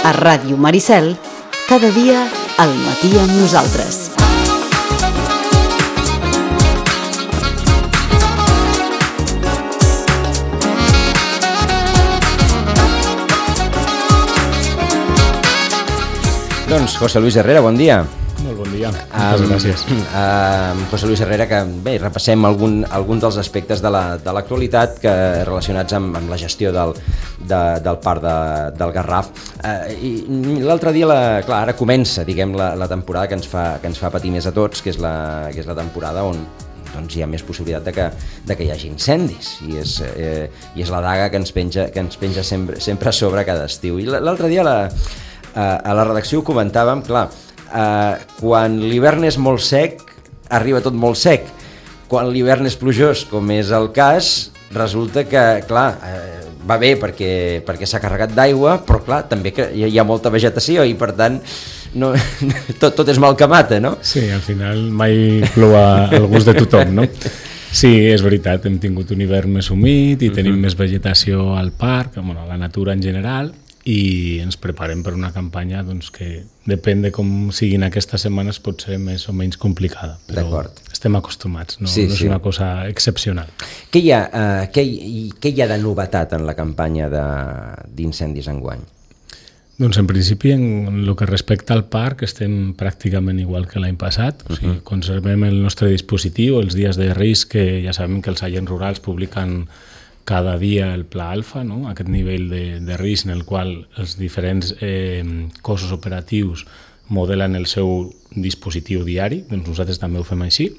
A Ràdio Maricel, cada dia al matí amb nosaltres. Doncs José Luis Herrera, bon dia. Molt bon dia, moltes gràcies. José Luis Herrera, que bé, repassem alguns dels aspectes de l'actualitat relacionats amb la gestió del parc del Garraf. I l'altre dia, clar, ara comença, diguem, la temporada que ens fa patir més a tots, que és la temporada on doncs hi ha més possibilitat de que hi hagi incendis, i és la daga que ens penja sempre a sobre cada estiu. I l'altre dia a la redacció ho comentàvem, clar, quan l'hivern és molt sec, arriba tot molt sec. Quan l'hivern és plujós, com és el cas, resulta que, clar, va bé perquè s'ha carregat d'aigua, però clar, també que hi ha molta vegetació i per tant no, tot és mal que mata, no? Sí, al final mai plou al gust de tothom, no? Sí, és veritat, hem tingut un hivern més humit i tenim més vegetació al parc, a la natura en general, i ens preparem per una campanya doncs, que depèn de com siguin aquestes setmanes pot ser més o menys complicada, però estem acostumats, no és una cosa excepcional. Què hi ha de novetat en la campanya d'incendis enguany? Doncs en principi en el que respecta al parc estem pràcticament igual que l'any passat, o sigui, conservem el nostre dispositiu, els dies de risc, que ja sabem que els agents rurals publiquen cada dia el pla alfa, no? Aquest nivell de risc en el qual els diferents cossos operatius modelen el seu dispositiu diari, doncs nosaltres també ho fem així,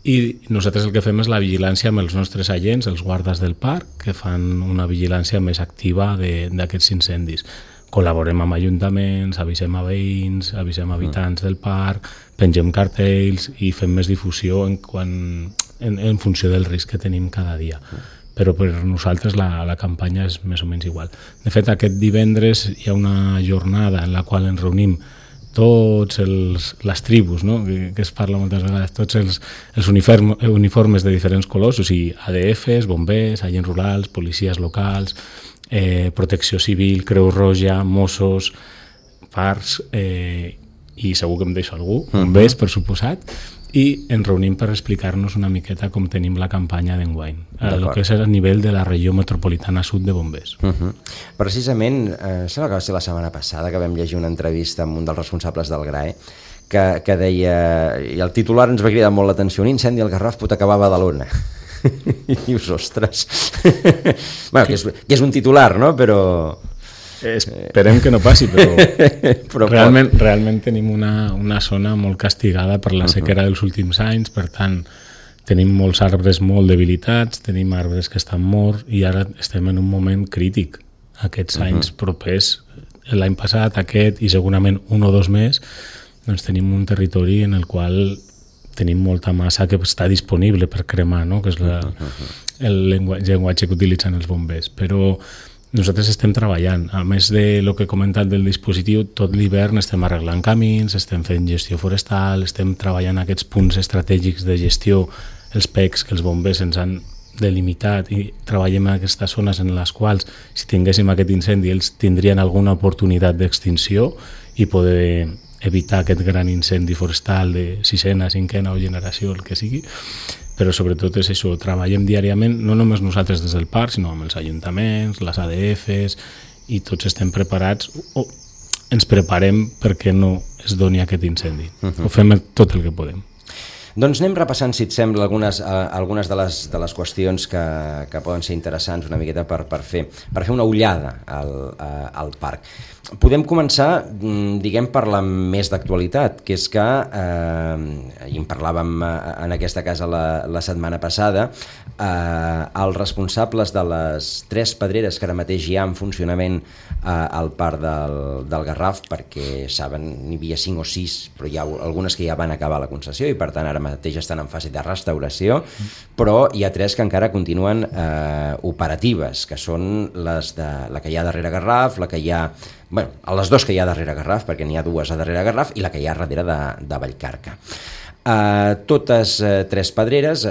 i nosaltres el que fem és la vigilància amb els nostres agents, els guardes del parc, que fan una vigilància més activa d'aquests incendis. Col·laborem amb ajuntaments, avisem a veïns, avisem a habitants del parc, pengem cartells i fem més difusió en funció del risc que tenim cada dia. Però per nosaltres la campanya és més o menys igual. De fet, aquest divendres hi ha una jornada en la qual ens reunim tots les tribus, no? que es parla moltes vegades, tots els uniformes de diferents colors, o sigui, ADFs, bombers, agents rurals, policies locals, protecció civil, Creu Roja, Mossos, parcs, i segur que em deixo algú, bombers, per suposat, i ens reunim per explicar-nos una miqueta com tenim la campanya d'enguany, el que és a nivell de la regió metropolitana sud de bombers. Precisament, sembla que va ser la setmana passada que vam llegir una entrevista amb un dels responsables del GRAE que deia, i el titular ens va cridar molt l'atenció, un incendi al Garraf pot acabar a Badalona. I dius, ostres, bueno, que és un titular, no? Però esperem que no passi, però realment tenim una zona molt castigada per la sequera dels últims anys, per tant tenim molts arbres molt debilitats, tenim arbres que estan morts i ara estem en un moment crític. Aquests anys propers, l'any passat, aquest i segurament un o dos més, doncs tenim un territori en el qual tenim molta massa que està disponible per cremar, no? Que és el llenguatge que utilitzen els bombers, però nosaltres estem treballant, a més de lo que he comentat del dispositiu, tot l'hivern estem arreglant camins, estem fent gestió forestal, estem treballant aquests punts estratègics de gestió, els PECs que els bombers ens han delimitat, i treballem en aquestes zones en les quals, si tinguéssim aquest incendi, ells tindrien alguna oportunitat d'extinció i poder evitar aquest gran incendi forestal de sisena, cinquena o generació, el que sigui. Però sobretot és això, treballem diàriament, no només nosaltres des del parc, sinó amb els ajuntaments, les ADFs, i tots estem preparats, o ens preparem perquè no es doni aquest incendi. Ho fem tot el que podem. Doncs anem repassant, si et sembla, algunes de les qüestions que poden ser interessants una miqueta per fer una ullada al parc. Podem començar, diguem, per la més d'actualitat, que és que, i en parlàvem en aquesta casa la setmana passada, els responsables de les 3 pedreres que ara mateix hi ha en funcionament al parc del Garraf, perquè saben, n'hi havia 5 o 6, però hi ha algunes que ja van acabar la concessió i per tant ara mateix estan en fase de restauració, però hi ha 3 que encara continuen operatives, que són la que hi ha darrere Garraf, la que hi ha, les 2 que hi ha darrere Garraf, perquè n'hi ha 2 a darrere Garraf, i la que hi ha darrere de Vallcarca. Totes tres pedreres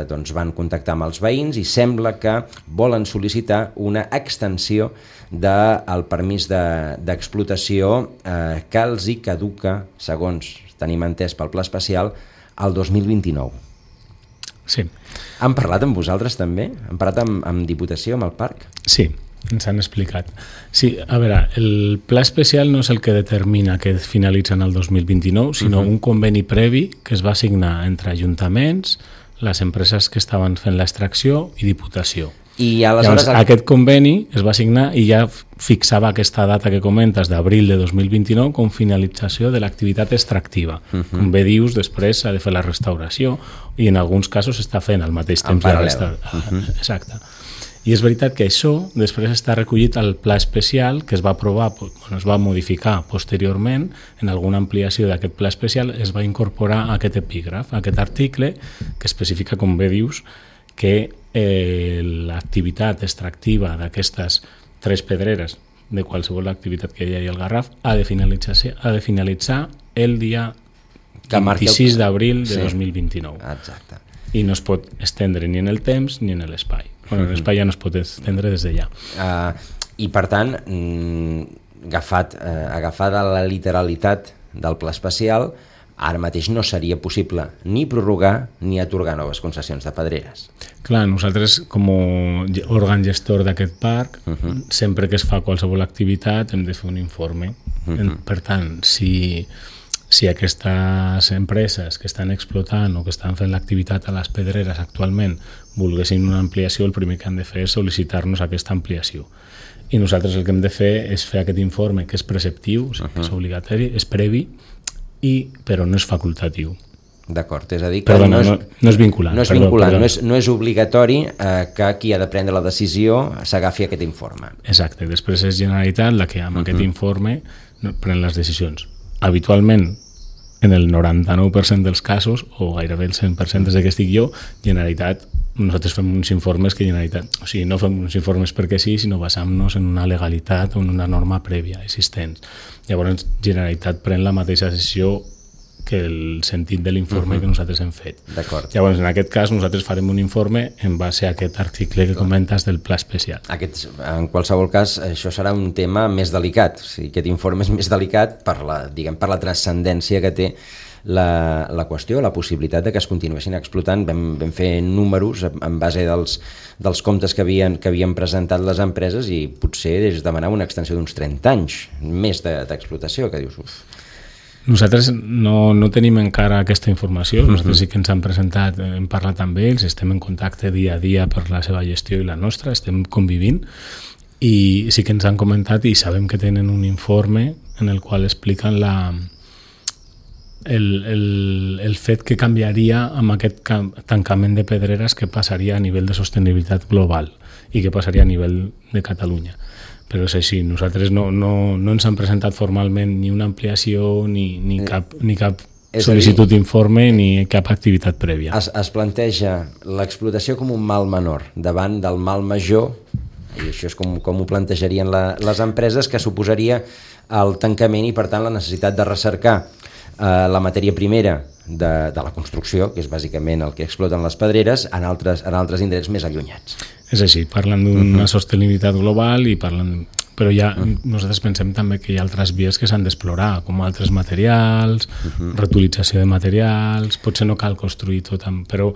doncs van contactar amb els veïns i sembla que volen sol·licitar una extensió del permís d'explotació que els hi caduca, segons tenim entès pel pla especial, el 2029. Sí. Han parlat amb vosaltres també? Han parlat amb Diputació, amb el parc? Sí, ens han explicat. Sí, a veure, el pla especial no és el que determina que finalitza en el 2029, sinó un conveni previ que es va signar entre ajuntaments, les empreses que estaven fent l'extracció i Diputació. I aleshores... Llavors, aquest conveni es va signar i ja fixava aquesta data que comentes d'abril de 2029 com finalització de l'activitat extractiva. Com bé dius, després s'ha de fer la restauració i en alguns casos s'està fent al mateix temps. En paral·lel. Exacte. I és veritat que això després està recollit al pla especial que es va aprovar, es va modificar posteriorment en alguna ampliació d'aquest pla especial, es va incorporar aquest epígraf, aquest article que especifica, com bé dius, que l'activitat extractiva d'aquestes tres pedreres de qualsevol activitat que hi hagi al Garraf ha de finalitzar el dia 26 d'abril de 2029. Exacte. I no es pot estendre ni en el temps ni en l'espai. Bueno, l'espai ja no es pot estendre des de ja. I per tant, agafada la literalitat del pla especial, ara mateix no seria possible ni prorrogar ni atorgar noves concessions de pedreres. Clar, nosaltres com a òrgan gestor d'aquest parc, sempre que es fa qualsevol activitat hem de fer un informe. Per tant, si aquestes empreses que estan explotant o que estan fent l'activitat a les pedreres actualment volguessin una ampliació, el primer que han de fer és sol·licitar-nos aquesta ampliació. I nosaltres el que hem de fer és fer aquest informe que és preceptiu, o sigui, que és obligatori, és previ, però no és facultatiu. D'acord, és a dir que no és vinculant. No és vinculant, no és obligatori que qui ha de prendre la decisió s'agafi aquest informe. Exacte, després és Generalitat la que amb aquest informe pren les decisions. Habitualment, en el 99% dels casos, o gairebé el 100% des que estic jo, Generalitat, nosaltres fem uns informes que Generalitat, o sigui, no fem uns informes perquè sí, sinó basant-nos en una legalitat o en una norma prèvia existent. Llavors, Generalitat pren la mateixa decisió que el sentit de l'informe que nosaltres hem fet. D'acord. Llavors, en aquest cas, nosaltres farem un informe en base a aquest article que comentes del pla especial. En qualsevol cas, això serà un tema més delicat. O sigui, aquest informe és més delicat per la transcendència que té la qüestió, la possibilitat de que es continuessin explotant. Vam fer números en base dels comptes que havien presentat les empreses i potser es demanava una extensió d'uns 30 anys més d'explotació, que dius... Nosaltres no tenim encara aquesta informació, nosaltres sí que ens han presentat, hem parlat amb ells, estem en contacte dia a dia per la seva gestió i la nostra, estem convivint i sí que ens han comentat i sabem que tenen un informe en el qual expliquen el fet que canviaria amb aquest tancament de pedreres que passaria a nivell de sostenibilitat global i que passaria a nivell de Catalunya. Però és així, nosaltres no ens han presentat formalment ni una ampliació ni cap sol·licitud d'informe ni cap activitat prèvia. Es planteja l'explotació com un mal menor davant del mal major, i això és com ho plantejarien les empreses, que suposaria el tancament i per tant la necessitat de recercar la matèria primera de la construcció, que és bàsicament el que exploten les pedreres, en altres indrets més allunyats. És així, parlen d'una sostenibilitat global i però ja nosaltres pensem també que hi ha altres vies que s'han d'explorar, com altres materials, reutilització de materials, potser no cal construir tot, però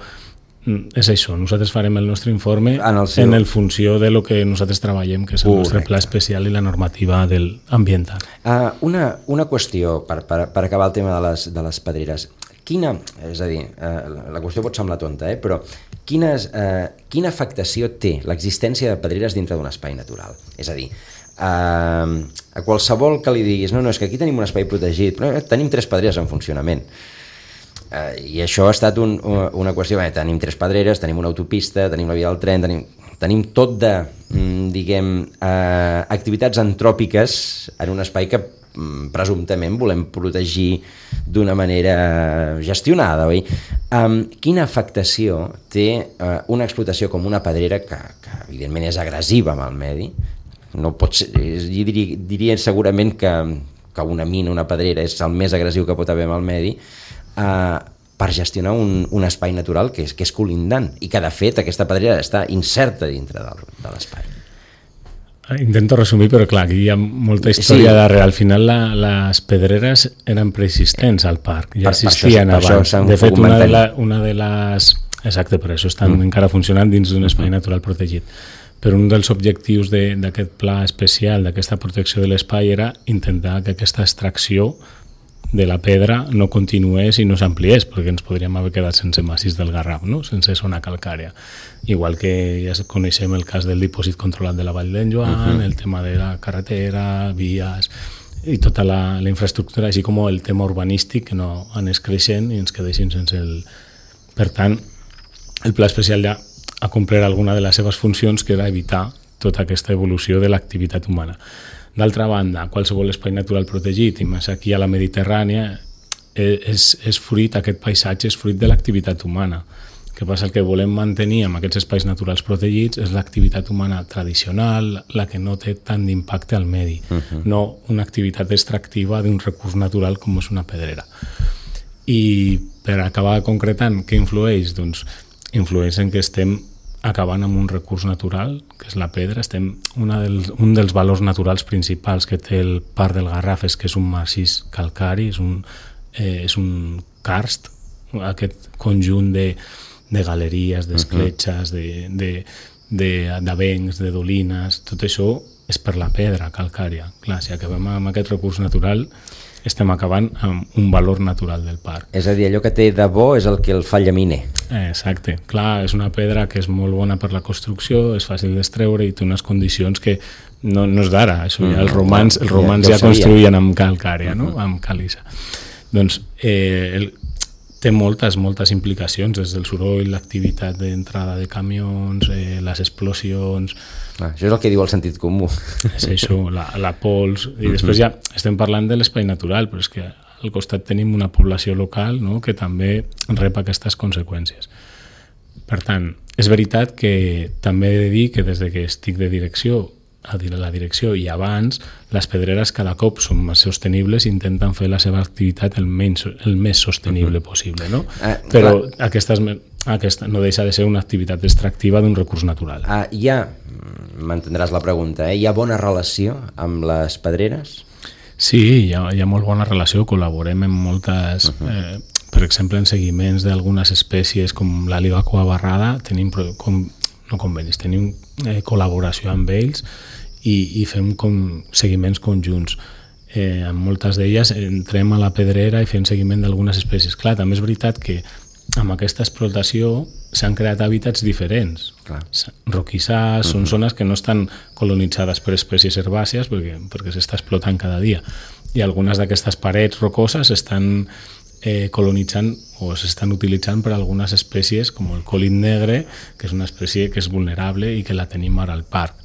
és això, nosaltres farem el nostre informe en el funció de lo que nosaltres treballem, que és el nostre pla especial i la normativa ambiental. Una qüestió, per acabar el tema de les pedreres. És a dir, la qüestió pot semblar tonta, però quina afectació té l'existència de pedreres dintre d'un espai natural? És a dir, a qualsevol que li diguis no, és que aquí tenim un espai protegit, però tenim 3 pedreres en funcionament. I això ha estat una qüestió, tenim 3 pedreres, tenim una autopista, tenim la via del tren, tenim tot de, activitats antròpiques en un espai que presumptament volem protegir d'una manera gestionada, oi? Quina afectació té una explotació com una pedrera que evidentment és agressiva amb el medi? No pot ser, diria segurament que una mina, una pedrera és el més agressiu que pot haver amb el medi, per gestionar un espai natural que és colindant i que de fet aquesta pedrera està inserta dintre de l'espai. Intento resumir, però clar, aquí hi ha molta història darrere. Al final les pedreres eren preexistents al parc, ja existien abans. De fet, una de les... Exacte, per això estan encara funcionant dins d'un espai natural protegit. Però un dels objectius d'aquest pla especial, d'aquesta protecció de l'espai, era intentar que aquesta extracció de la pedra no continués i no s'ampliés, perquè ens podríem haver quedat sense massís del Garraf, no? Sense zona calcària. Igual que ja coneixem el cas del dipòsit controlat de la Vall d'en Joan, el tema de la carretera, vies i tota la infraestructura, així com el tema urbanístic, que no anés creixent i ens quedéssim sense el... Per tant, el pla especial ja ha complert alguna de les seves funcions, que era evitar tota aquesta evolució de l'activitat humana. D'altra banda, qualsevol espai natural protegit, i més aquí a la Mediterrània, és fruit, aquest paisatge és fruit de l'activitat humana. El que passa, el que volem mantenir amb aquests espais naturals protegits és l'activitat humana tradicional, la que no té tant d'impacte al medi, no una activitat extractiva d'un recurs natural com és una pedrera. I per acabar concretant, què influeix? Doncs influeix en que estem acabant amb un recurs natural, que és la pedra. Un dels valors naturals principals que té el Parc del Garraf és que és un massís calcari, és un karst, aquest conjunt de galeries, d'escletxes, d'avencs, de dolines, tot això és per la pedra calcària. Clar, si acabem amb aquest recurs natural, estem acabant amb un valor natural del parc. És a dir, allò que té de bo és el que el fa llaminer. Exacte. Clar, és una pedra que és molt bona per la construcció, és fàcil d'extreure i té unes condicions que no és d'ara. Això ja els romans ja construïen amb calcària, no? Amb càlissa. Doncs té moltes implicacions, des del soroll, l'activitat d'entrada de camions, les explosions... Això és el que diu el sentit comú. És això, la pols... I després ja estem parlant de l'espai natural, però és que al costat tenim una població local, no?, que també rep aquestes conseqüències. Per tant, és veritat que també he de dir que des que estic de direcció a la direcció i abans, les pedreres cada cop són més sostenibles i intenten fer la seva activitat el més sostenible possible, no? Però aquesta no deixa de ser una activitat extractiva d'un recurs natural. M'entendràs la pregunta, hi ha bona relació amb les pedreres? Sí, hi ha molt bona relació, col·laborem en moltes... Per exemple, en seguiments d'algunes espècies com l'àliga coabarrada tenim tenim col·laboració amb ells i fem seguiments conjunts. En moltes d'elles entrem a la pedrera i fem seguiment d'algunes espècies. Clar, també és veritat que amb aquesta explotació s'han creat hàbitats diferents. Roquissars, són zones que no estan colonitzades per espècies herbàcies perquè s'està explotant cada dia. I algunes d'aquestes parets rocoses estan colonitzant o s'estan utilitzant per algunes espècies com el còlid negre, que és una espècie que és vulnerable i que la tenim ara al parc.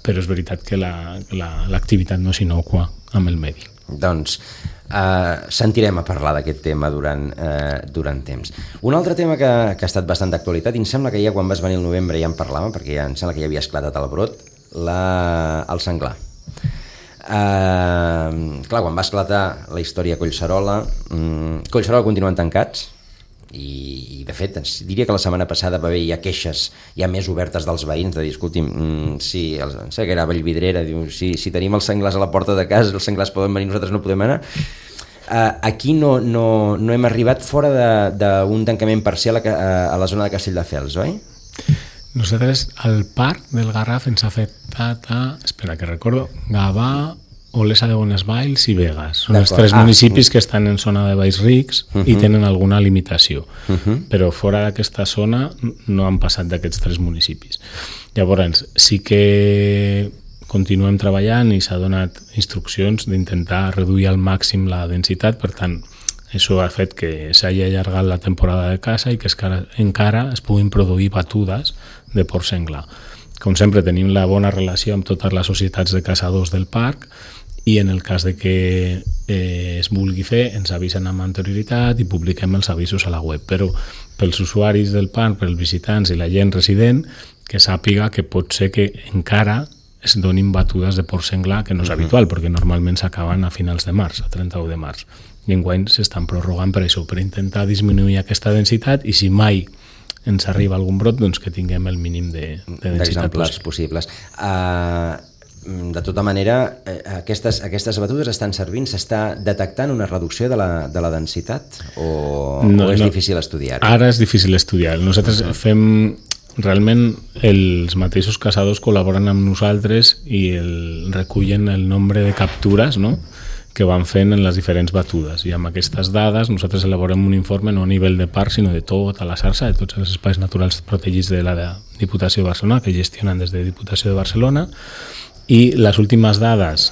Però és veritat que l'activitat no és innocua amb el medi. Doncs sentirem a parlar d'aquest tema durant temps. Un altre tema que ha estat bastant d'actualitat, i em sembla que ja quan vas venir al novembre ja en parlàvem, perquè ja em sembla que ja havia esclatat el brot, el senglar. Clar, quan va esclatar la història a Collserola continuen tancats i de fet diria que la setmana passada va haver ja queixes ja més obertes dels veïns de dir, escolti'm, sí, sé que era Vallvidrera, diu, si tenim els senglars a la porta de casa, els senglars poden venir, nosaltres no podem anar. Aquí no hem arribat fora d'un tancament parcial a la zona de Castelldefels, oi? Nosaltres, el parc del Garraf ens ha afectat espera que recordo, Gavà, Olesa de Bonesvalls i Begues. Són els tres municipis que estan en zona de Valls Rics i tenen alguna limitació. Però fora d'aquesta zona no han passat d'aquests tres municipis. Llavors, sí que continuem treballant i s'ha donat instruccions d'intentar reduir al màxim la densitat, per tant, això ha fet que s'hagi allargat la temporada de caça i que encara es puguin produir batudes de porc senglar. Com sempre, tenim la bona relació amb totes les societats de caçadors del parc i en el cas de que es vulgui fer ens avisen amb anterioritat i publiquem els avisos a la web, però pels usuaris del parc, pels visitants i la gent resident, que sàpiga que pot ser que encara es donin batudes de porc senglar, que no és habitual, perquè normalment s'acaben a finals de març, a 31 de març. i enguany s'estan prorrogant per això, per intentar disminuir aquesta densitat, i si mai ens arriba algun brot, doncs que tinguem el mínim de densitat possibles. De tota manera, aquestes batudes estan servint, s'està detectant una reducció de la densitat o és difícil estudiar-ho? Ara és difícil estudiar. Nosaltres fem... Realment els mateixos caçadors col·laboren amb nosaltres i recullen el nombre de captures, no?, que van fent en les diferents batudes, i amb aquestes dades nosaltres elaborem un informe no a nivell de parc sinó de tota la xarxa, de tots els espais naturals protegits de la Diputació de Barcelona, que gestionen des de Diputació de Barcelona, i les últimes dades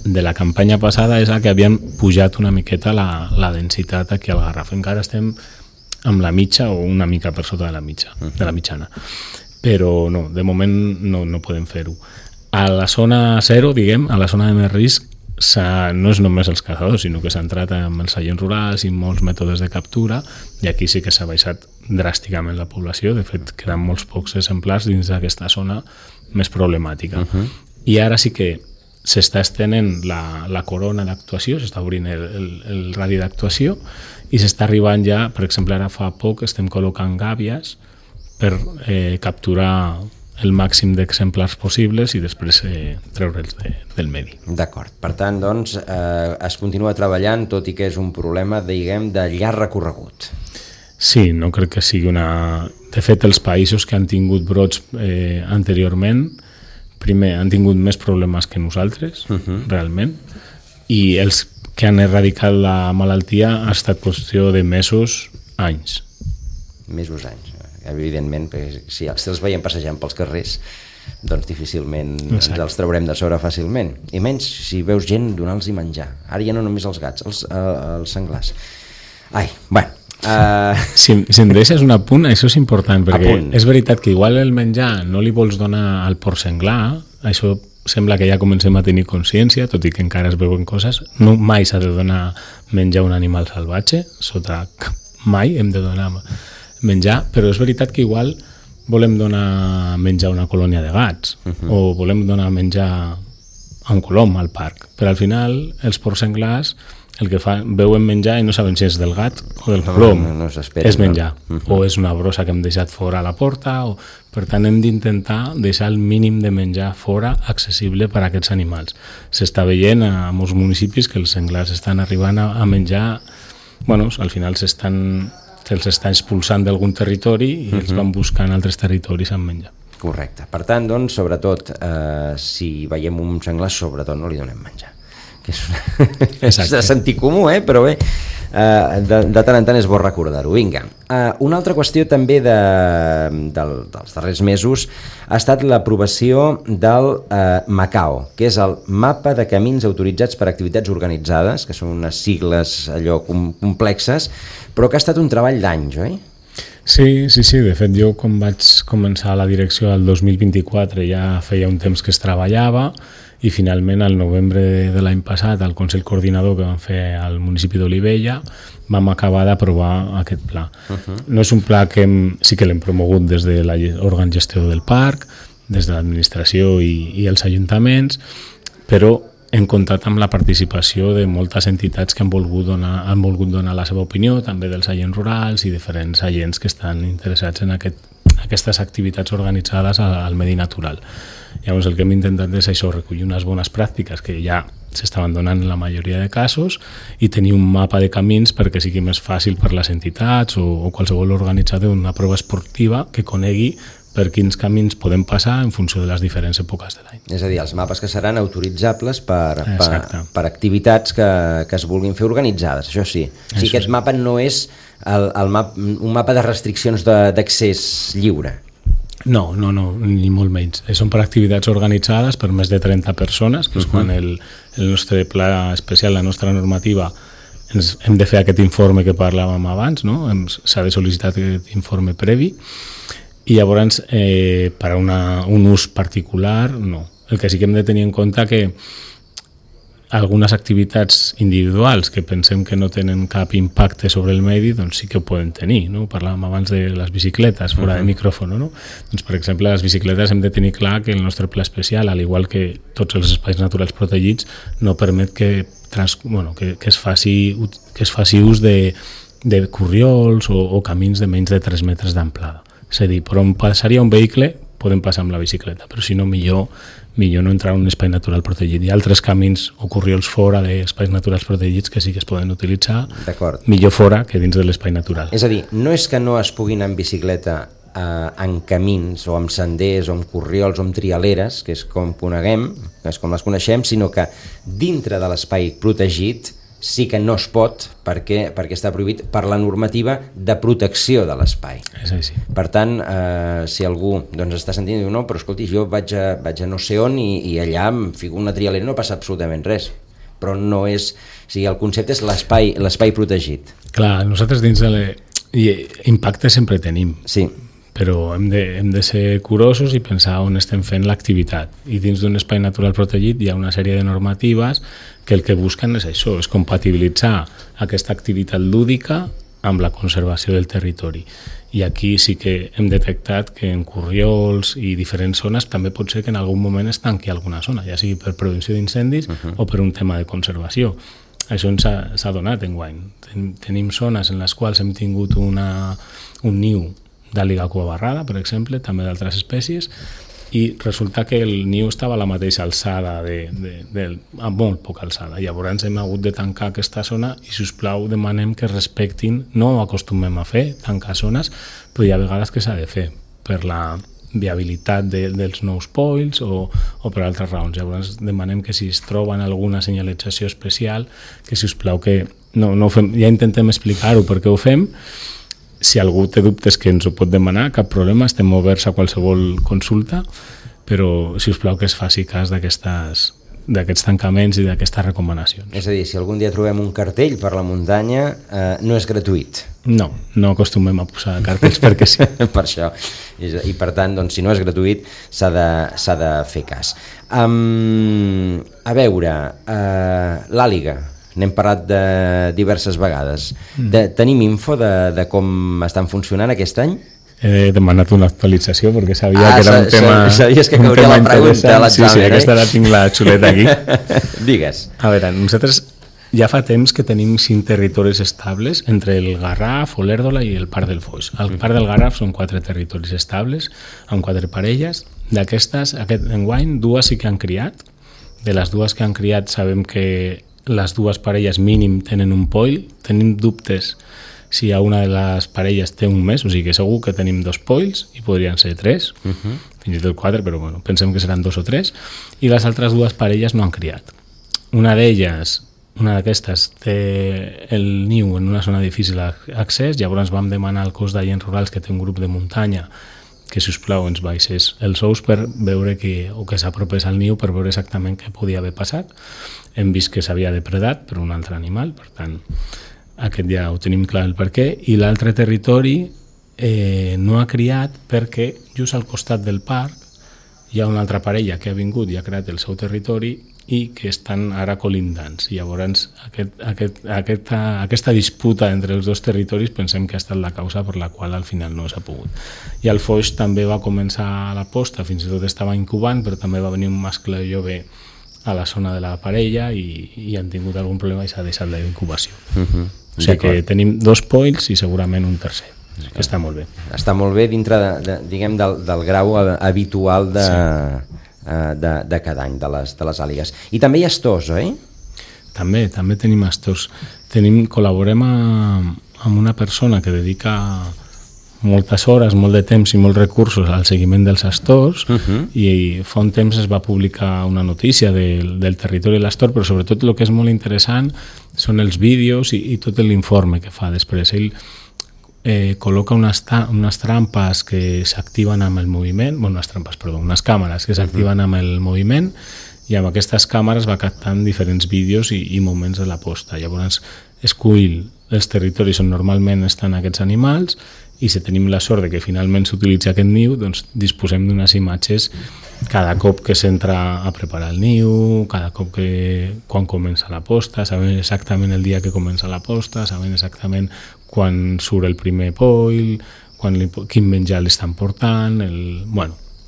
de la campanya passada és que havien pujat una miqueta la densitat aquí al Garraf. Encara estem amb la mitja o una mica per sota de la mitjana. Però no, de moment no podem fer-ho. A la zona 0, diguem, a la zona de més risc, no és només els caçadors, sinó que s'ha entrat amb els seients rurals i molts mètodes de captura, i aquí sí que s'ha baixat dràsticament la població. De fet, queden molts pocs exemplars dins d'aquesta zona més problemàtica. I ara sí que s'està estenent la corona d'actuació, s'està obrint el radi d'actuació, i s'està arribant ja, per exemple, ara fa poc estem col·locant gàbies per capturar el màxim d'exemplars possibles i després treure'ls del medi. D'acord. Per tant, doncs, es continua treballant, tot i que és un problema, diguem, de llarg recorregut. Sí, no crec que sigui una... De fet, els països que han tingut brots anteriorment, primer, han tingut més problemes que nosaltres, realment, i els que han erradicat la malaltia ha estat qüestió de mesos, anys. Mesos, anys. Evidentment, perquè si els veiem passejant pels carrers, doncs difícilment ens els traurem de sobre fàcilment. I menys si veus gent donar-los menjar. Ara ja no només els gats, els senglars. Ai, bueno... Si em deixes un apunt, això és important, perquè és veritat que igual el menjar no li vols donar al porc senglar, això sembla que ja comencem a tenir consciència, tot i que encara es veuen coses. No, mai s'ha de donar menjar a un animal salvatge, mai hem de donar menjar, però és veritat que igual volem donar menjar a una colònia de gats, o volem donar menjar a un colom al parc, però al final els porcs senglars el que veuen menjar i no saben si és del gat o del colom, és menjar, o és una brossa que hem deixat fora a la porta, per tant hem d'intentar deixar el mínim de menjar fora accessible per a aquests animals. S'està veient a molts municipis que els senglars estan arribant a menjar, al final se'ls està expulsant d'algun territori i els van buscant altres territoris amb menjar. Correcte. Per tant, doncs, sobretot, si veiem un senglar, sobretot no li donem menjar. És de sentit comú, però bé, de tant en tant és bo recordar-ho. Vinga, una altra qüestió també dels darrers mesos ha estat l'aprovació del MACAO, que és el Mapa de Camins Autoritzats per Activitats Organitzades, que són unes sigles allò complexes, però que ha estat un treball d'anys, oi? Sí, de fet jo quan vaig començar la direcció el 2024 ja feia un temps que es treballava, i finalment al novembre de l'any passat al Consell Coordinador que vam fer al municipi d'Olivella vam acabar d'aprovar aquest pla. No és un pla que sí que l'hem promogut des de l'òrgan gestor del parc, des de l'administració i els ajuntaments, però hem comptat amb la participació de moltes entitats que han volgut donar la seva opinió, també dels agents rurals i diferents agents que estan interessats en aquestes activitats organitzades al medi natural. Llavors el que hem intentat és això, recollir unes bones pràctiques que ja s'estaven donant en la majoria de casos i tenir un mapa de camins perquè sigui més fàcil per les entitats o qualsevol organitzador d'una prova esportiva que conegui per quins camins podem passar en funció de les diferents èpoques de l'any. És a dir, els mapes que seran autoritzables per activitats que es vulguin fer organitzades, això sí. O sigui, aquest mapa no és un mapa de restriccions d'accés lliure. No, ni molt menys. Són per activitats organitzades per més de 30 persones, que és quan el nostre pla especial, la nostra normativa, hem de fer aquest informe que parlàvem abans, no? S'ha de sol·licitar aquest informe previ, i llavors per a un ús particular, no. El que sí que hem de tenir en compte que algunes activitats individuals que pensem que no tenen cap impacte sobre el medi, doncs sí que ho poden tenir, no? Parlàvem abans de les bicicletes, fora de micròfon, no? Doncs, per exemple, les bicicletes hem de tenir clar que el nostre pla especial, al igual que tots els espais naturals protegits, no permet que es faci ús de corriols o camins de menys de 3 metres d'amplada. És a dir, per on passaria un vehicle podem passar amb la bicicleta, però si no, millor no entrar en un espai natural protegit. Hi ha altres camins o corriols fora d'espais naturals protegits que sí que es poden utilitzar, millor fora que dins de l'espai natural. És a dir, no és que no es pugui anar en bicicleta en camins o amb senders o amb corriols o amb trialeres, que és com coneguem, que és com les coneixem, sinó que dintre de l'espai protegit sí que no es pot perquè està prohibit per la normativa de protecció de l'espai. És així. Per tant, si algú està sentint i diu, no, però escolti, jo vaig a no sé on i allà em fico una trialera i no passa absolutament res. Però no és... O sigui, el concepte és l'espai protegit. Clar, nosaltres dins de impacte sempre tenim. Sí. Però hem de ser curosos i pensar on estem fent l'activitat. I dins d'un espai natural protegit hi ha una sèrie de normatives que el que busquen és això, és compatibilitzar aquesta activitat lúdica amb la conservació del territori. I aquí sí que hem detectat que en corriols i diferents zones també pot ser que en algun moment es tanqui alguna zona, ja sigui per prevenció d'incendis o per un tema de conservació. Això ens s'ha donat enguany. Tenim zones en les quals hem tingut un niu d'àliga cuabarrada, per exemple, també d'altres espècies, i resulta que el niu estava a la mateixa alçada, a molt poca alçada. Llavors hem hagut de tancar aquesta zona i, si us plau, demanem que respectin, no ho acostumem a fer, tancar zones, però hi ha vegades que s'ha de fer per la viabilitat dels nous pols o per altres raons. Llavors demanem que si es troben alguna senyalització especial, que, si us plau, que no ho fem. Ja intentem explicar-ho per què ho fem. Si algú té dubtes que ens ho pot demanar, cap problema, estem oberts a qualsevol consulta, però, si us plau, que es faci cas d'aquests tancaments i d'aquestes recomanacions. És a dir, si algun dia trobem un cartell per la muntanya, no és gratuït. No acostumem a posar cartells perquè sí. Per això. I per tant, doncs, si no és gratuït, s'ha de fer cas. A veure, l'àliga. N'hem parlat de diverses vegades. Tenim info de com estan funcionant aquest any? He demanat una actualització perquè sabia que era un tema... Sabies que cauria la pregunta a l'examen, Sí, aquesta la tinc la xuleta aquí. Digues. A veure, nosaltres ja fa temps que tenim 5 territoris estables entre el Garraf, Olèrdola i el Parc del Foix. El Parc del Garraf són 4 territoris estables, amb 4 parelles. D'aquestes, aquest enguany, 2 sí que han criat. De les 2 que han criat sabem que les 2 parelles mínim tenen un poll. Tenim dubtes si a una de les parelles té un mes, o sigui que segur que tenim 2 polls i podrien ser 3, fins i tot 4, però bueno, pensem que seran 2 o 3, i les altres 2 parelles no han criat. Una d'aquestes té el niu en una zona difícil d'accés, llavors vam demanar al cos d'agents rurals, que té un grup de muntanya, que, si us plau, ens baixés els ous per veure que s'apropés al niu, per veure exactament què podia haver passat. Hem vist que s'havia depredat per un altre animal, per tant, aquest ja ho tenim clar el per què. I l'altre territori no ha criat perquè just al costat del parc hi ha una altra parella que ha vingut i ha creat el seu territori i que estan ara colindants. Llavors, aquesta disputa entre els 2 territoris pensem que ha estat la causa per la qual al final no s'ha pogut. I el Foix també va començar la posta, fins i tot estava incubant, però també va venir un mascle jove a la zona de la parella i han tingut algun problema i s'ha deixat la incubació. O sigui que tenim 2 polls i segurament un tercer, que està molt bé. Està molt bé dintre del grau habitual de cada any de les àligues. I també hi ha astors, oi? També tenim astors. Col·laborem amb una persona que dedica moltes hores, molt de temps i molts recursos al seguiment dels astors, i fa un temps es va publicar una notícia del territori de l'astor, però sobretot el que és molt interessant són els vídeos i tot l'informe que fa després. Ell col·loca unes trampes que s'activen amb el moviment, unes càmeres que s'activen amb el moviment, i amb aquestes càmeres va captant diferents vídeos i moments de la posta. Llavors escull els territoris on normalment estan aquests animals i si tenim la sort de que finalment s'utilitza aquest niu, doncs disposem d'unes imatges cada cop que s'entra a preparar el niu, cada cop quan comença la posta, sabent exactament el dia que comença la posta, sabent exactament quan surt el primer poll, quin menjar li estan portant,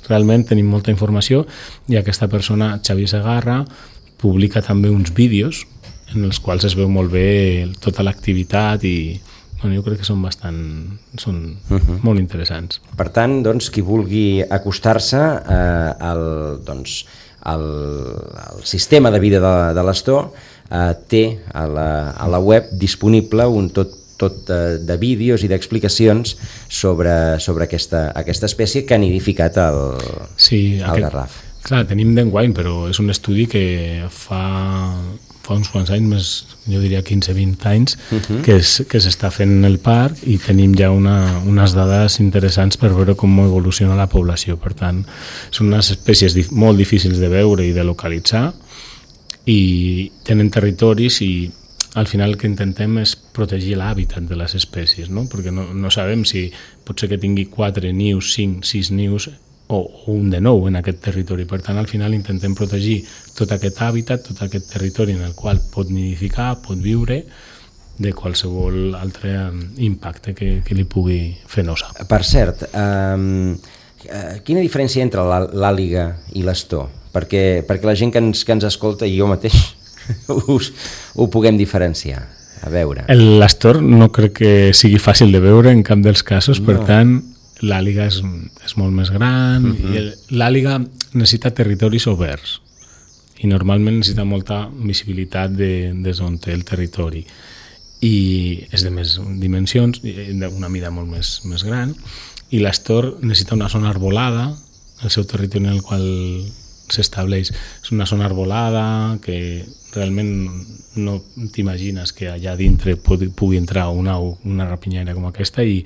realment tenim molta informació i aquesta persona, Xavier Segarra, publica també uns vídeos en els quals es veu molt bé tota l'activitat i jo crec que són molt interessants. Per tant, doncs, qui vulgui acostar-se al sistema de vida de l'Astor té a la web disponible un tot de vídeos i d'explicacions sobre aquesta espècie que ha nidificat el garraf. Clar, tenim d'enguany, però és un estudi que fa uns quants anys, més, jo diria 15-20 anys, que s'està fent en el parc i tenim ja unes dades interessants per veure com evoluciona la població. Per tant, són unes espècies molt difícils de veure i de localitzar i tenen territoris i al final el que intentem és protegir l'hàbitat de les espècies, no? Perquè no sabem si pot ser que tingui 4 nius, 5, 6 nius o un de nou en aquest territori. Per tant, al final intentem protegir tot aquest hàbitat, tot aquest territori en el qual pot nidificar, pot viure, de qualsevol altre impacte que li pugui fer nosa. Per cert, quina diferència entre l'àliga i l'astor? Perquè la gent que ens escolta i jo mateix ho puguem diferenciar. A veure. L'astor no crec que sigui fàcil de veure en cap dels casos, per tant, l'àliga és molt més gran i l'àliga necessita territoris oberts i normalment necessita molta visibilitat des on té el territori i és de més dimensions, d'una mida molt més gran, i l'astor necessita una zona arbolada, el seu territori en el qual s'estableix és una zona arbolada que realment no t'imagines que allà dintre pugui entrar una rapinyaire com aquesta i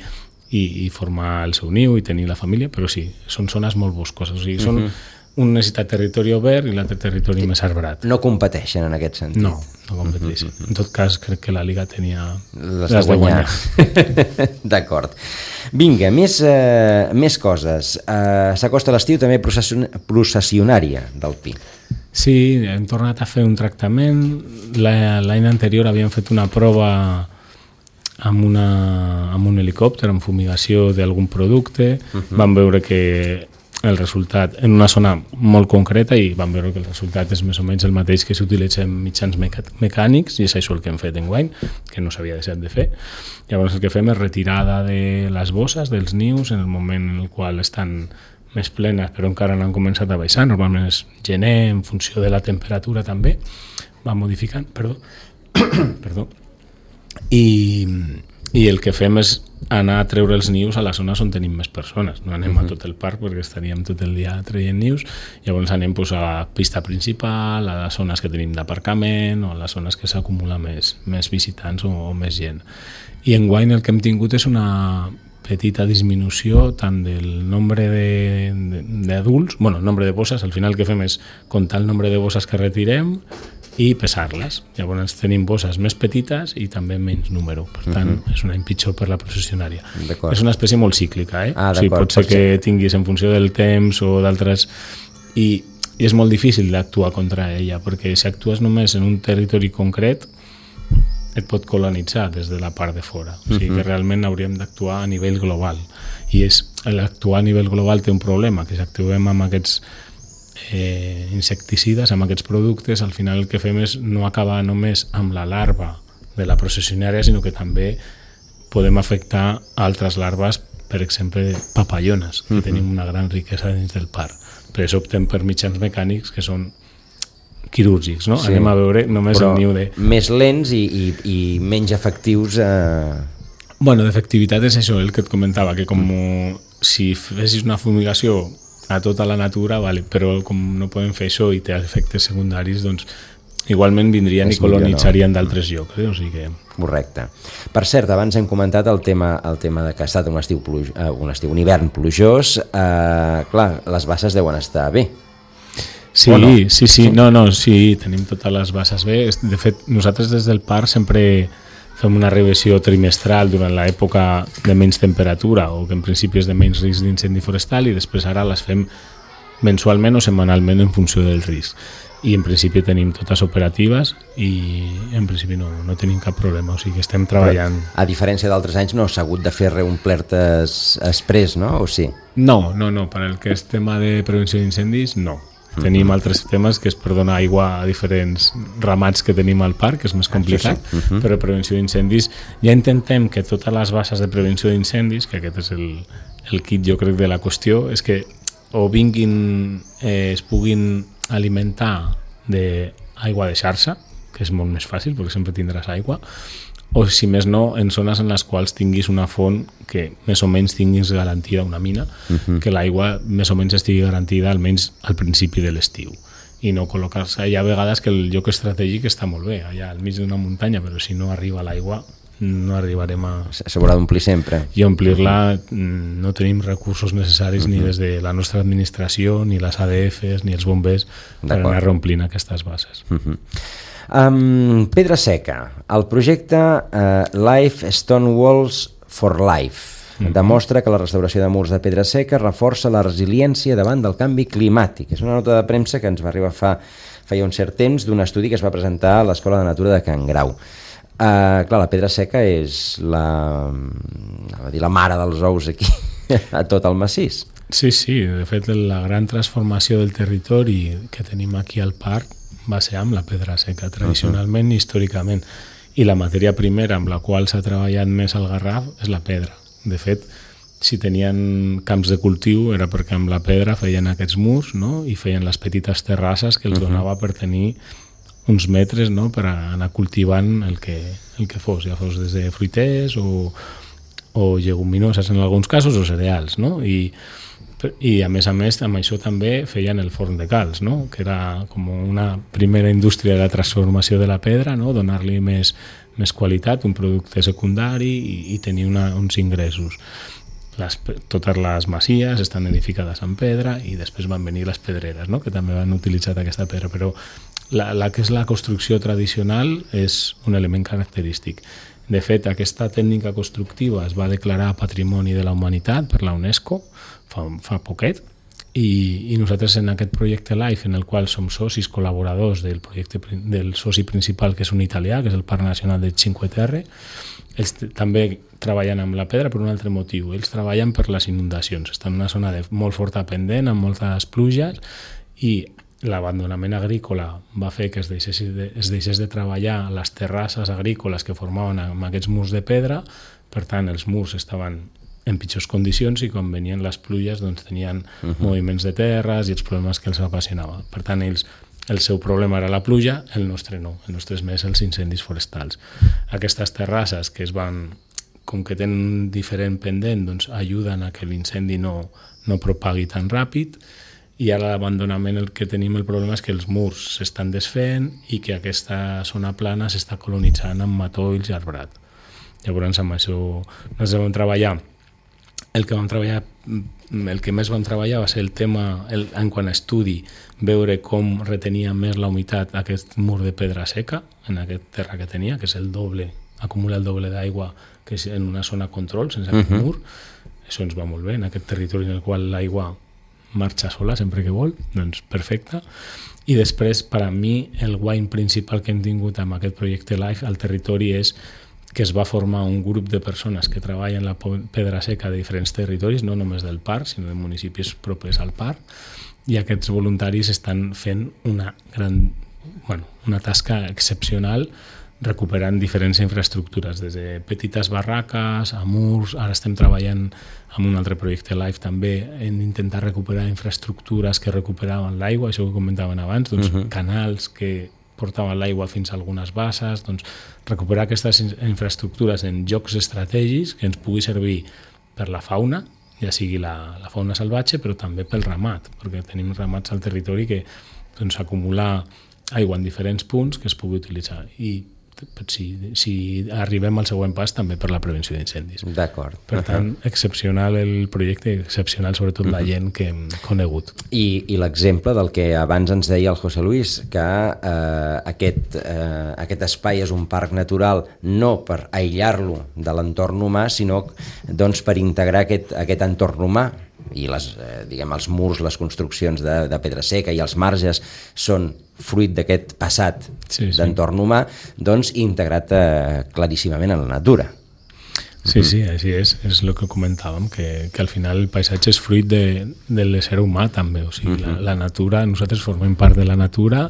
formar el seu niu i tenir la família, però sí, són zones molt boscoses, o sigui, un necessita territori obert i l'altre territori més arbrat. No competeixen en aquest sentit. No competeixen. En tot cas, crec que la Liga tenia les de guanyar. D'acord. Vinga, més coses. S'acosta l'estiu també processionària del pi. Sí, hem tornat a fer un tractament. L'any anterior havíem fet una prova amb un helicòpter, amb fumigació d'algun producte. Vam veure que el resultat, en una zona molt concreta, i vam veure que el resultat és més o menys el mateix que s'utilitza en mitjans mecànics, i és això el que hem fet enguany, que no s'havia deixat de fer. Llavors el que fem és retirada de les bosses, dels nius, en el moment en el qual estan més plenes, però encara no han començat a baixar. Normalment és gener, en funció de la temperatura també, va modificant, perdó. I el que fem és anar a treure els nius a les zones on tenim més persones. No anem a tot el parc perquè estaríem tot el dia traient nius, llavors anem a la pista principal, a les zones que tenim d'aparcament o a les zones que s'acumula més visitants o més gent. I enguany el que hem tingut és una petita disminució tant del nombre d'adults, nombre de bosses, al final el que fem és comptar el nombre de bosses que retirem i pesar-les. Llavors tenim bosses més petites i també menys número. Per tant, és un any pitjor per la processionària. És una espècie molt cíclica, o sigui, pot ser que tinguis en funció del temps o d'altres... I és molt difícil d'actuar contra ella, perquè si actues només en un territori concret et pot colonitzar des de la part de fora. O sigui que realment hauríem d'actuar a nivell global. I l'actuar a nivell global té un problema, que si actuem amb aquests insecticides, amb aquests productes, al final el que fem és no acabar només amb la larva de la processionària, sinó que també podem afectar altres larves, per exemple papallones, que tenim una gran riquesa dins del parc. Per això optem per mitjans mecànics que són quirúrgics, no? Sí. Anem a veure només el niu de... Més lents i menys efectius... D'efectivitat és això, el que et comentava, que com si fessis una fumigació a tota la natura, però com no podem fer això i té efectes secundaris, doncs igualment vindrien i colonitzarien d'altres llocs. O sigui que... Correcte. Per cert, abans hem comentat el tema de que ha estat un hivern plujós. Clar, les basses deuen estar bé. Sí, sí, tenim totes les basses bé. De fet, nosaltres des del parc sempre fem una revisió trimestral durant l'època de menys temperatura o que en principi és de menys risc d'incendi forestal, i després ara les fem mensualment o setmanalment en funció del risc. I en principi tenim totes operatives i en principi no tenim cap problema, o sigui que estem treballant. Però, a diferència d'altres anys, no s'ha hagut de fer reomplertes express, no? O sí? No, per el que és tema de prevenció d'incendis, no. Tenim altres temes que és per donar aigua a diferents ramats que tenim al parc, que és més complicat, però prevenció d'incendis ja intentem que totes les bases de prevenció d'incendis, que aquest és el kit jo crec de la qüestió, és que o vinguin, es puguin alimentar d'aigua de xarxa, que és molt més fàcil perquè sempre tindràs aigua, o si més no en zones en les quals tinguis una font que més o menys tinguis garantida, una mina, que l'aigua més o menys estigui garantida almenys al principi de l'estiu, i no col·locar-se. Hi ha vegades que el lloc estratègic està molt bé, allà al mig d'una muntanya, però si no arriba l'aigua no arribarem a... S'haurà d'omplir sempre. I omplir-la no tenim recursos necessaris ni des de la nostra administració, ni les ADFs, ni els bombers per anar reomplint aquestes bases. Pedra Seca, el projecte Life Stone Walls for Life demostra que la restauració de murs de pedra seca reforça la resiliència davant del canvi climàtic. És una nota de premsa que ens va arribar feia un cert temps d'un estudi que es va presentar a l'Escola de Natura de Can Grau. Clar, la pedra seca és la mare dels ous aquí a tot el massís. Sí, de fet la gran transformació del territori que tenim aquí al parc va ser amb la pedra seca, tradicionalment i històricament, i la matèria primera amb la qual s'ha treballat més al Garraf és la pedra. De fet, si tenien camps de cultiu era perquè amb la pedra feien aquests murs, no? I feien les petites terrasses que els donava per tenir uns metres, no?, per anar cultivant el que fos, ja fos des de fruiters o lleguminoses en alguns casos o cereals, no? I a més amb això també feien el forn de calç, no?, que era com una primera indústria de la transformació de la pedra, no?, donar-li més qualitat, un producte secundari i tenir uns ingressos. Totes les masies estan edificades en pedra i després van venir les pedreres, no?, que també van utilitzar aquesta pedra, però la que és la construcció tradicional és un element característic. De fet, aquesta tècnica constructiva es va declarar Patrimoni de la Humanitat per la UNESCO fa poquet, i nosaltres en aquest projecte LIFE, en el qual som socis col·laboradors del soci principal, que és un italià, que és el Parc Nacional de Cinque Terre, ells també treballen amb la pedra per un altre motiu. Ells treballen per les inundacions. Estan en una zona de molt forta pendent, amb moltes pluges, i l'abandonament agrícola va fer que es deixés de treballar les terrasses agrícoles que formaven amb aquests murs de pedra. Per tant, els murs estaven en pitjors condicions i quan venien les pluges doncs tenien moviments de terres i els problemes que els ocasionava. Per tant, el seu problema era la pluja, el nostre no. El nostre és més els incendis forestals. Aquestes terrasses que com que tenen diferent pendent, doncs ajuden a que l'incendi no propagui tan ràpid, i ara l'abandonament el que tenim el problema és que els murs s'estan desfent i que aquesta zona plana s'està colonitzant amb matolls i arbrat. Llavors amb això nosaltres vam treballar. El que més vam treballar va ser el tema, en quant a estudi, veure com retenia més la humitat aquest mur de pedra seca en aquest terra que tenia, que és el doble, acumula el doble d'aigua que és en una zona control sense aquest mur. Això ens va molt bé, en aquest territori en el qual l'aigua marxa sola sempre que vol, doncs perfecte. I després, per a mi, el guany principal que hem tingut amb aquest projecte LIFE al territori és que es va formar un grup de persones que treballen la pedra seca de diferents territoris, no només del parc, sinó de municipis propers al parc, i aquests voluntaris estan fent una tasca excepcional recuperant diferents infraestructures, des de petites barraques a murs. Ara estem treballant amb un altre projecte LIFE també en intentar recuperar infraestructures que recuperaven l'aigua, això que comentaven abans, doncs canals que portaven l'aigua fins a algunes basses, doncs recuperar aquestes infraestructures en llocs estratègics que ens pugui servir per la fauna, ja sigui la fauna salvatge, però també pel ramat, perquè tenim ramats al territori que doncs acumula aigua en diferents punts que es pugui utilitzar. I si arribem al següent pas, també per la prevenció d'incendis. D'acord. Per tant, excepcional el projecte, excepcional sobretot la gent que hem conegut. I l'exemple del que abans ens deia el José Luis, que aquest espai és un parc natural no per aïllar-lo de l'entorn humà, sinó doncs, per integrar aquest entorn humà, i els murs, les construccions de pedra seca i els marges són fruit d'aquest passat d'entorn humà, doncs integrat claríssimament en la natura. Sí, així és el que comentàvem, que al final el paisatge és fruit de l'ésser humà també, o sigui, la natura, nosaltres formem part de la natura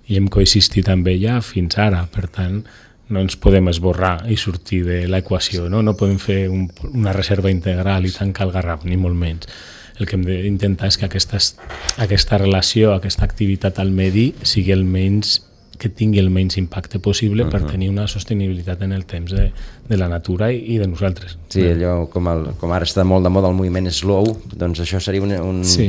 i hem coexistit amb ella fins ara, per tant no ens podem esborrar i sortir de l'equació, no podem fer una reserva integral i tancar el Garraf, ni molt menys. El que hem d'intentar és que aquesta relació, aquesta activitat al medi que tingui el menys impacte possible per tenir una sostenibilitat en el temps de la natura i de nosaltres. Sí, allò com ara està molt de moda el moviment slow, doncs això seria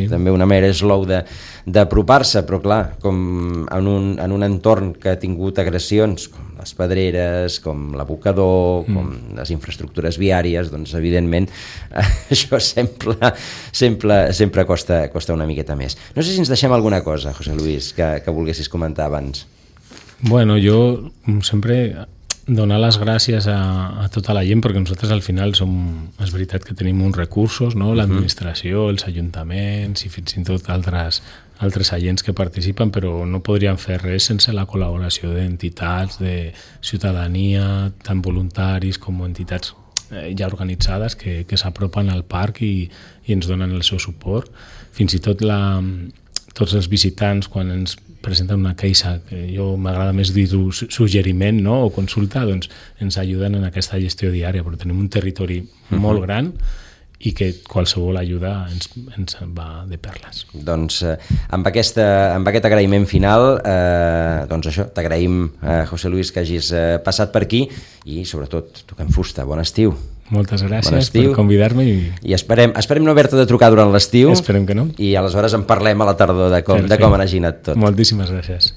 també una manera slow d'apropar-se, però clar, com en un entorn que ha tingut agressions com les pedreres, com l'abocador, com les infraestructures viàries, doncs evidentment això sempre costa una miqueta més. No sé si ens deixem alguna cosa, José Luis, que volguessis comentar abans. Bueno, jo sempre donar les gràcies a tota la gent, perquè nosaltres al final és veritat que tenim uns recursos, no? L'administració, els ajuntaments i fins i tot altres agents que participen, però no podríem fer res sense la col·laboració d'entitats, de ciutadania, tant voluntaris com entitats ja organitzades que s'apropen al parc i ens donen el seu suport. Fins i tot tots els visitants, quan ens presenten una queixa, que jo m'agrada més dir-ho suggeriment, no? O consulta, doncs ens ajuden en aquesta gestió diària, però tenim un territori molt gran i que qualsevol ajuda ens va de perles. Doncs amb aquest agraïment final, doncs això, t'agraïm, José Luis, que hagis passat per aquí i sobretot toquem fusta. Bon estiu. Moltes gràcies per convidar-me. I esperem no haver-te de trucar durant l'estiu. Esperem que no. I aleshores en parlem a la tardor de com ha anat tot. Moltíssimes gràcies.